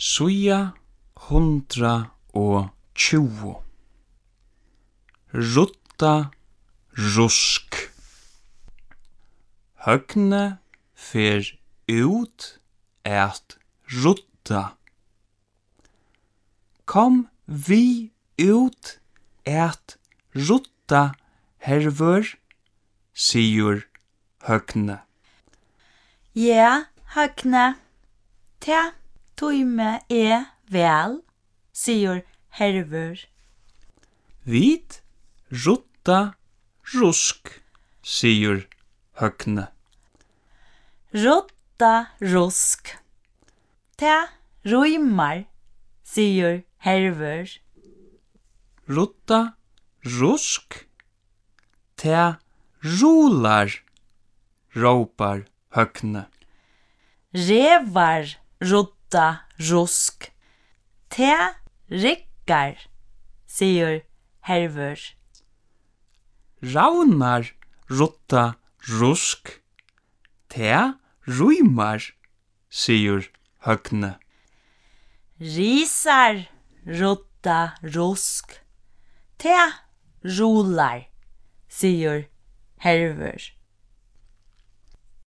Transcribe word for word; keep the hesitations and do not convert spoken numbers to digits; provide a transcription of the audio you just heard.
Síða hundrað og tjúgu. Rudda rusk. Høgni fer út at rudda. Kom við út at rudda, Hervør, sigur Høgni. Ja, Høgni, tað tími eg væl, sigur Hervør. Vit rudda rusk, sigur Høgni. Rudda rusk. Tað rímar, sigur Hervør. Rudda rusk. Tað rular, rópar Høgni. Revar rudda rusk. Tað riggar, sigur Hervør. Ravnar rudda rusk. Tað rímar, sigur Høgni. Risar rudda rusk. Tað rular, sigur Hervør.